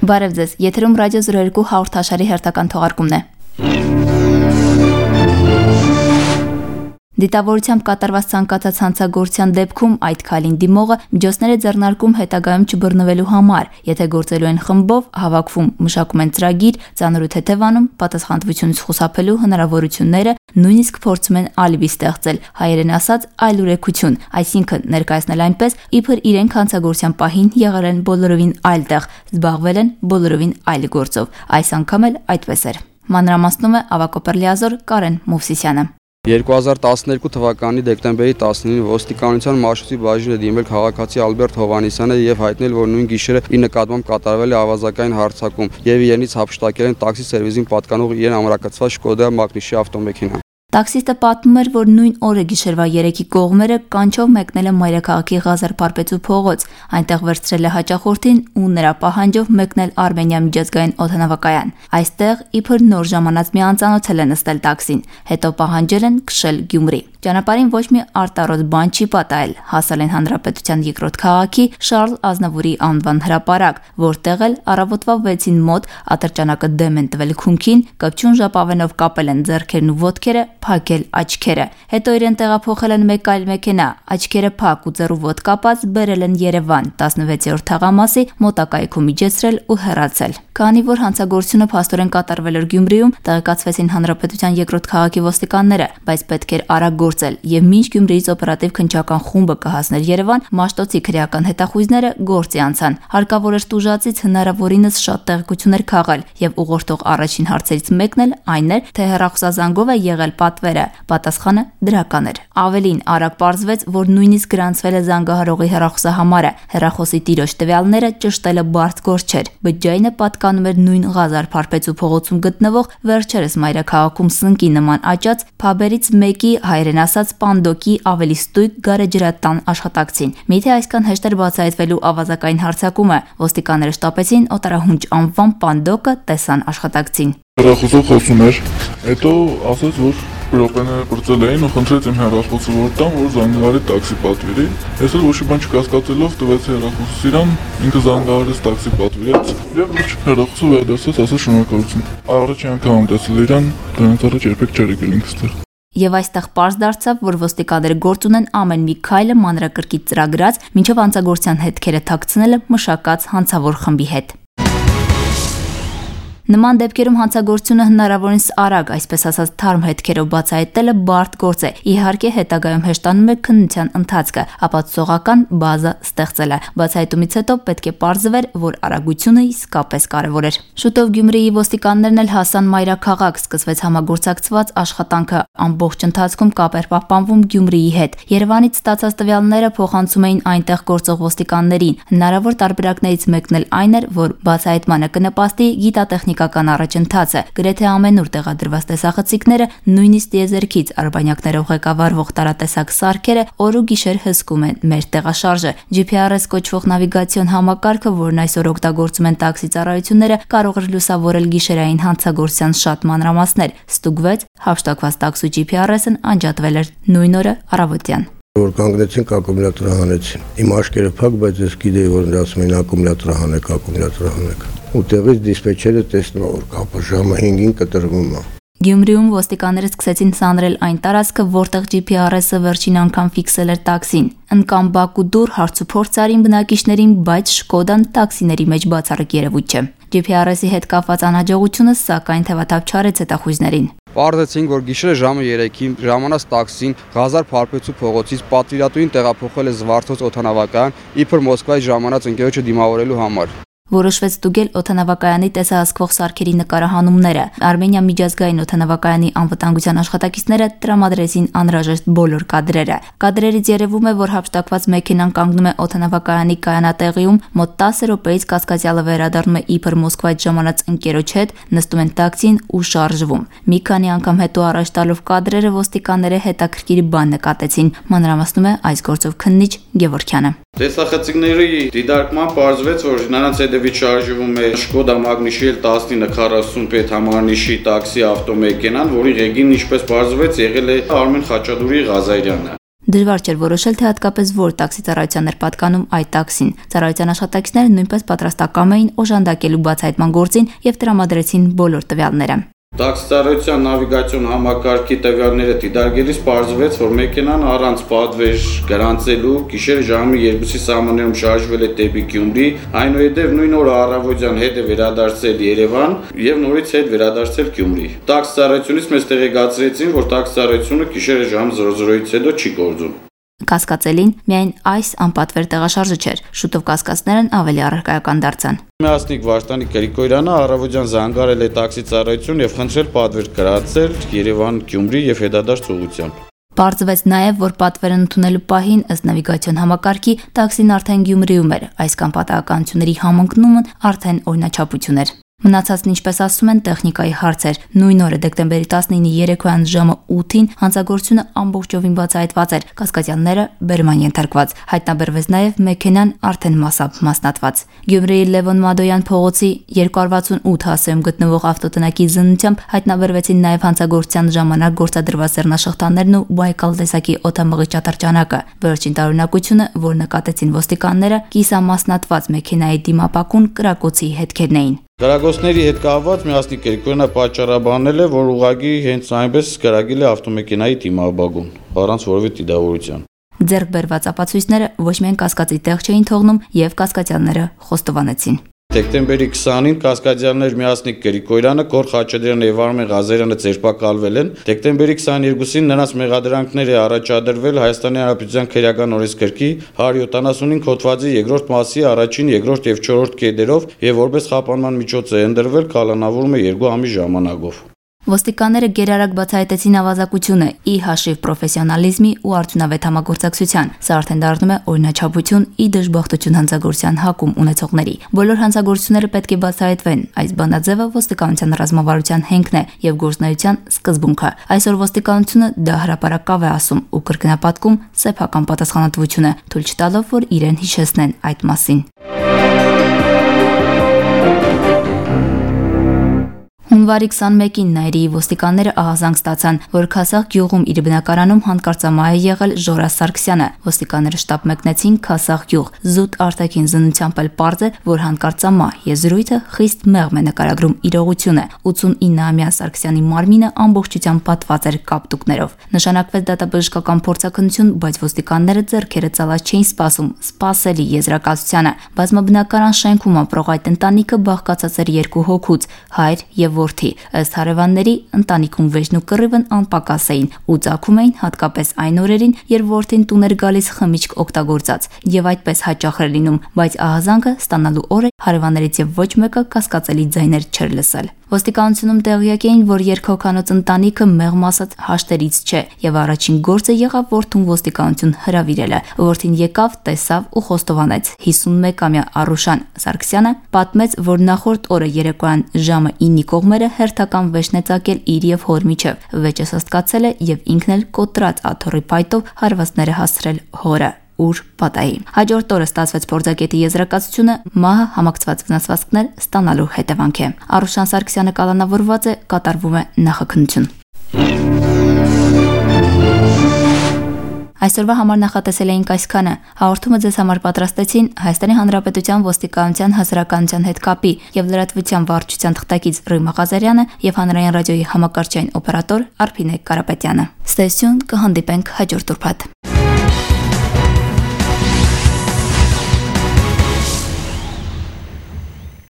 Բարև ձեզ, եթերում ռադիո 02 հաղորդաշարի հերթական թողարկումն է։ Դիտավորությամբ կատարված ցանկացած հանցագործության դեպքում այդ քայլին դիմողը միջոցներ է ձեռնարկում հետագայում չբռնվելու համար, եթե գործելու են խմբով, հավաքվում, մշակում են ծրագիր, ծանր ու թեթևանում, պատասխանատվությունից խուսափելու հնարավորությունները, նույնիսկ փորձում են ալիբի ստեղծել, հայերեն ասած այլուրեքություն, այսինքն ներկայացնել այնպես, իբր իրենք հանցագործության պահին եղել են բոլորովին այլ տեղ, զբաղվել են բոլորովին այլ գործով։ Այս անգամ էլ այդպես էր։ Մանրամասնում է Ավակոպերլիազոր Կարեն Մովսիսյանը։ 2012 թվականի դեկտեմբերի 19-ին ոստիկանության Մաշուսի բաժինը դիմել քաղաքացի Ալբերտ Հովհաննիսյանը եւ հայտնել, որ նույն գիշերը իր նկատմամբ կատարվել է ավազակային հարձակում եւ իրենից հափշտակել են տաքսի սերվիսին պատկանող իրեն ամրակցված Շկոդա Մագնիշի ավտոմեքենա։ Տաքսիստը պատմում էր, որ նույն օրը գիշերվա 3-ի կողմերը կանչով մեկնել է մայրաքաղաքի Ղազար Փարպեցու փողոց, այնտեղ վերցրել է հաճախորդին ու նրա պահանջով մեկնել Արմենիա միջազգային օդանավակայան։ Այստեղ իբր նոր ժամանած մի անծանոթել է նստել տաքսին, հետո պահանջել են քշել Գյումրի։ Ճանապարհին ոչ մի արտարոց բան չի պատահել, հասել են Հանրապետության երկրորդ քաղաքի Շարլ Ազնավուրի անվան հրապարակ, որտեղ էլ առավոտվա 6-ին մոտ ատրճանակը դեմ են տվել քունքին, կպչուն ժապավենով կապել են ձեռքերն ու ոտքերը, փակել աչքերը։ Հետո իրեն տեղափոխել են մեկ այլ մեքենա, աչքերը փակ ու ձեռու ոտ կապած բերել են Երևան, 16-րդ թաղամասի մոտակայքում իջեցրել ու հեռացել։ Քանի որ հանցագործությունը փաստորեն կատարվել էր Գյումրիում, տեղեկացվեցին Հանրապետության երկրորդ քաղաքի ոստիկանները, բայց պետք էր արագ գործել եւ մինչ Գյումրիից օպերատիվ քննչական խումբը կհասներ Երևան, Մաշտոցի քրեական հետախույզները գործի անցան։ Հարկավոր էր տուժածից հնարավորինս շատ տեղեկություններ քաղել եւ ուղղորդող առաջին հարցերից մեկն էլ այն էր, թե հեռախոսազանգով է եղել պատվերը։ Պատասխանը դրական էր։ Ավելին, արագ պարզվեց, որ նույնիսկ գրանցվել է զանգահարողի հեռախոսահամարը։ Հեռախոսի տիրոջ տվյալները ճշտելը բարդ գործ չէր։ Բջջայինը պատկանում էր նույն Ղազար Փարպեցու փողոցում գտնվող վերջերս մայրաքաղաքում սնկի նման աճած փաբերից մեկի հայերեն ասած Պանդոկի ավելի ստույգ գարեջրատան աշխատակցին։ Միթե այսքան հեշտ էր բացահայտվելու ավազակային հարձակումը, ոստիկանները շտապեցին օտարահունչ անվան Պանդոկը տեսան աշխատակցին։ Հեռախոսով խոսում էր, հետո ասաց, որ րոպեները բրծել էին ու խնդրեց իմ հեռախոսը որ տամ, որ զանգահարի տաքսի պատվիրի։ Ես էլ ոչ մի բան չկասկածելով տվեցի հեռախոսս իրան, ինքը զանգահարեց տաքսի պատվիրեց եւ ոչ հեռախոսը վերադարձած ասաց շնորհակալություն։ Առաջին անգամ տեսել իրան, դրանից առաջ երբեք չէր եկել ինքստեղ։ Եվ այստեղ պարզ դարձավ, որ ոստիկանները գործ ունեն ամեն մի քայլը մանրակրկիտ ծրագրած, մինչև հանցագործության հետքերը թաքցնելը մշակած հանցավոր խմբի հետ։ Նման դեպքերում հանցագործությունը հնարավորինս արագ, այսպես ասած թարմ հետքերով բացահայտելը բարդ գործ է։ Իհարկե հետագայում հեշտանում է քննության ընթացքը, ապացուցողական բազա ստեղծելը։ Բացահայտումից հետո պետք է պարզվեր, որ արագությունը իսկապես կարևոր էր։ Շուտով Գյումրիի ոստիկաններն էլ հասան մայրաքաղաք, սկսվեց համագործակցված աշխատանքը, ամբողջ ընթացքում կապ էր պահպանվում Գյումրիի հետ։ Երևանից ստացած տվյալները փոխանցում էին այնտեղ գործող ոստիկաններին։ Հնարավոր տարբերակներից մեկն էլ այն էր, որ բացահայտմանը կնպաստի գիտատեխնիկական առաջընթացը, գրեթե ամենուր տեղադրված տեսախցիկները, նույնիսկ տիեզերքից արբանյակներով ղեկավարվող տարատեսակ սարքերը օր ու գիշեր հսկում են մեր տեղաշարժը։ GPS կոչվող նավիգացիոն համակարգը, որն այսօր օգտագործում են տաքսի ծառայությունները, կարող էր լուսավորել գիշերային հանցագործության շատ մանրամասներ։ Ստուգվեց, հափշտակված տաքսու GPS-ն անջատվել էր նույն օրը առավոտյան։ Որ կանգնեցին ակումուլյատորը հանեցին։ Իմ աչքերը փակ, բայց ես գիտեի, որ նրանց ասում էին ակումուլյատորը հանեք։ Ու տեղից դիսպեչերը տեսնում որ կապը ժամը 5-ին կտրվում է։ Գյումրիում ոստիկանները սկսեցին սանրել այն տարածքը, որտեղ GPS-ը վերջին անգամ ֆիքսել էր տաքսին։ Ընկան Բաքու դուր հարցուփորձ արին բնակիչներին, բայց Շկոդան տաքսիների մեջ բացառիկ երևույթ չէ։ GPS-ի հետ կապված անհաջողությունը սակայն թևաթափ չարեց հետախույզներին։ Պարզեցինք, որ գիշերը ժամը 3-ին ժամանած տաքսին Ղազար Փարպեցու փողոցից պատվիրատուին տեղափոխել է Զվարթոց օդանավակայան, իբր Մոսկվայից ժամանած ընկերոջը դիմավորելու համար։ Որոշվեց ստուգել օդանավակայանի տեսահսկվող սարքերի նկարահանումները։ Արմենիա միջազգային օդանավակայանի անվտանգության աշխատակիցները տրամադրեցին անհրաժեշտ բոլոր կադրերը։ Կադրերից երևում է, որ հափշտակված մեքենան կանգնում է օդանավակայանի կայանատեղիում, մոտ 10 րոպեից կասկածյալը վերադառնում է իբր Մոսկվայից ժամանած ընկերոջ հետ, նստում են տաքսին ու շարժվում։ Մի քանի անգամ հետո առաջ տալով կադրերը ոստիկանները հետաքրքիր բան նկատեցին, մանրամասնում է այս գործով քննիչ Գևորգյանը։ Տեսախցիկների դիտարկման պարզվեց, որ նրանց հետևից շարժվում է Շկոդա Մագնիշի 1940 պետհամարնիշի տաքսի ավտոմեքենան, որի ղեկին, ինչպես պարզվեց, եղել է Արմեն Խաչատուրի Ղազարյանը։ Դժվար չէր որոշել, թե հատկապես որ տաքսի ծառայության էր պատկանում այդ տաքսին։ Ծառայության աշխատակիցները նույնպես պատրաստակամ էին օժանդակելու բացահայտման գործին եւ տրամադրեցին բոլոր տվյալները։ Տաքսի ծառայության նավիգացիոն համակարգի տվյալները դիտարկելիս պարզվեց, որ մեքենան առանց պատվեր գրանցելու գիշերը ժամի 2-ի սահմաններում շարժվել է դեպի Գյումրի, այնուհետև նույն օրը առավոտյան հետ է վերադարձել Երևան եւ նորից հետ վերադարձել Գյումրի։ Տաքսի ծառայությունից մեզ տեղեկացրեցին, որ տաքսի ծառայությունը գիշերը ժամ 00-ից հետո չի գործում։ Կասկածելին միայն այս անպատվեր տեղաշարժը չէր, շուտով կասկածներն ավելի առարկայական դարձան։ Միասնիկ Վարդանի Գրիգորյանը առավոտյան զանգարել է տաքսի ծառայություն եւ խնդրել պատվեր գրացել Երևան-Գյումրի եւ հետադարձ ուղղությամբ։ Պարզվեց նաև, որ պատվերն ընդունելու պահին ըստ նավիգացիոն համակարգի տաքսին արդեն Գյումրիում էր, այսքան պատահականությունների համընկնումն արդեն օրինաչափություն էր։ Մնացածն ինչպես ասում են տեխնիկայի հարցեր։ Նույն օրը դեկտեմբերի 19-ի երեկոյան ժամը 8-ին հանցագործությունը ամբողջովին բացահայտված էր, կասկածյանները բերման ենթարկված։ Հայտնաբերվեց նաև մեքենան արդեն մասնատված։ Գյումրիի Լևոն Մադոյան փողոցի 268 հասեում գտնվող ավտոտնակի զննությամբ հայտնաբերվեցին նաև հանցագործության ժամանակ գործադրված ձեռնաշղթաներն ու Բայկալ տեսակի օդամղի ճատրճանակը։ Վերջին տարօրինակությունը, որ նկատեցին ոստիկանները, կիսամասնատված մեքենայի դիմապակուն կրակոցի հետքերն էին։ Գրագործների հետ կապված Միասնիկ Գրիգորյանը պատճառաբանել է, որ ուղղակի հենց այնպես գրագել է ավտոմեքենայի դիմաբագուն, առանց որևէ դիտավորության։ Ձեռք բերված ապացույցները ոչ միայն կասկածի տեղ չէին թողնում եւ կասկածյանները խոստովանեցին։ Դեկտեմբերի 20-ին կասկադյաններ Միասնիկ Գրիգորյանը, Գոր Խաչատրյանը եւ Արմեն Ղազարյանը ձերբակալվել են։ Դեկտեմբերի 22-ին նրանց մեղադրանքներ է առաջադրվել Հայաստանի Հանրապետության քրեական օրենսգրքի 175 հոդվածի 2-րդ մասի 1-ին, 2-րդ եւ 4-րդ կետերով եւ որպես խափանման միջոց է ընդրվել կալանավորումը 2 ամիս ժամանակով։ Ոստիկանները գերարագ բացահայտեցին ավազակությունը ի հաշիվ պրոֆեսիոնալիզմի ու արդյունավետ համագործակցության։ Սա արդեն դառնում է օրինաչափություն ի դժբախտություն հանցագործության հակում ունեցողների։ Բոլոր հանցագործությունները պետք է բացահայտվեն։ Այս բանաձևը ոստիկանության ռազմավարության հենքն է եւ գործնայության սկզբունքը։ Այսօր ոստիկանությունը դա հրապարակավ է ասում ու կրկնապատկում սեփական պատասխանատվությունը, թույլ չտալով, որ իրեն հիշեցնեն այդ մասին։ Հունվարի 21-ին Նայիրիի ոստիկանները ահազանգ ստացան, որ Քասախ գյուղում իր բնակարանում հանկարծամահ է եղել Ժորա Սարգսյանը։ Ոստիկանները շտապ մեկնեցին Քասախ գյուղ։ Զուտ արտաքին զննությամբ էլ պարզ է, որ հանկարծամահ եզրույթը խիստ մեղմ է նկարագրում իրողությունը։ 89-ամյա Սարգսյանի մարմինը ամբողջությամբ պատված էր կապտուկներով։ Նշանակվեց դատաբժշկական փորձաքննություն, բայց ոստիկանները ձեռքերը ծալած չէին սպասում, սպասելի եզրակացությանը։ Բազմաբնակարան շենքում ապրող այդ ընտանիքը բաղկացած էր 2 հոգուց՝ հայր եւ որդի։ Ըստ հարևանների, ընտանիքում վեճն ու կռիվն անպակաս էին ու ծագում էին հատկապես այն օրերին, երբ որդին տուն էր գալիս խմիչք օգտագործած, եւ այդպես հաճախ էր լինում, բայց ահազանգը ստանալու օրը հարևաններից եւ ոչ մեկը կասկածելի ձայներ չէր լսել։ Ոստիկանությունում տեղյակ էին, որ երկհոգանոց ընտանիքը մեղմ ասած հաշտերից չէ, եւ առաջին գործը եղավ որդուն ոստիկանություն հրավիրելը։ Որդին եկավ, տեսավ ու խոստովանեց։ 51-ամյա Արուշան Սարգսյանը պատմեց, որ նախորդ օրը երեկոյան ժամը 9-ի կողմերը հերթական վեճն է ծագել իր եւ հոր միջև։ Վեճը սաստկացել է եւ ինքն էլ կոտրած աթոռի փայտով հարվածները հասցրել հորը։ Ուր պատահի։ Հաջորդ օրը ստացվեց փորձագետի եզրակացությունը մահը համակցված վնասվածքներ ստանալու հետևանք է։ Արուշան Սարգսյանը կալանավորված է, կատարվում է նախաքննություն։ Այսօրվա համար նախատեսել էինք այսքանը։ Հաղորդումը ձեզ համար պատրաստեցին Հայաստանի Հանրապետության ոստիկանության հասարակայնության հետ կապի եւ լրատվության վարչության թղթակից Ռոյմա Ղազարյանը եւ հանրային ռադիոյի համակարգչային օպերատոր Արփինե Կարապետյանը։ Ստեսյուն կհանդիպենք հաջորդ ուրբաթ։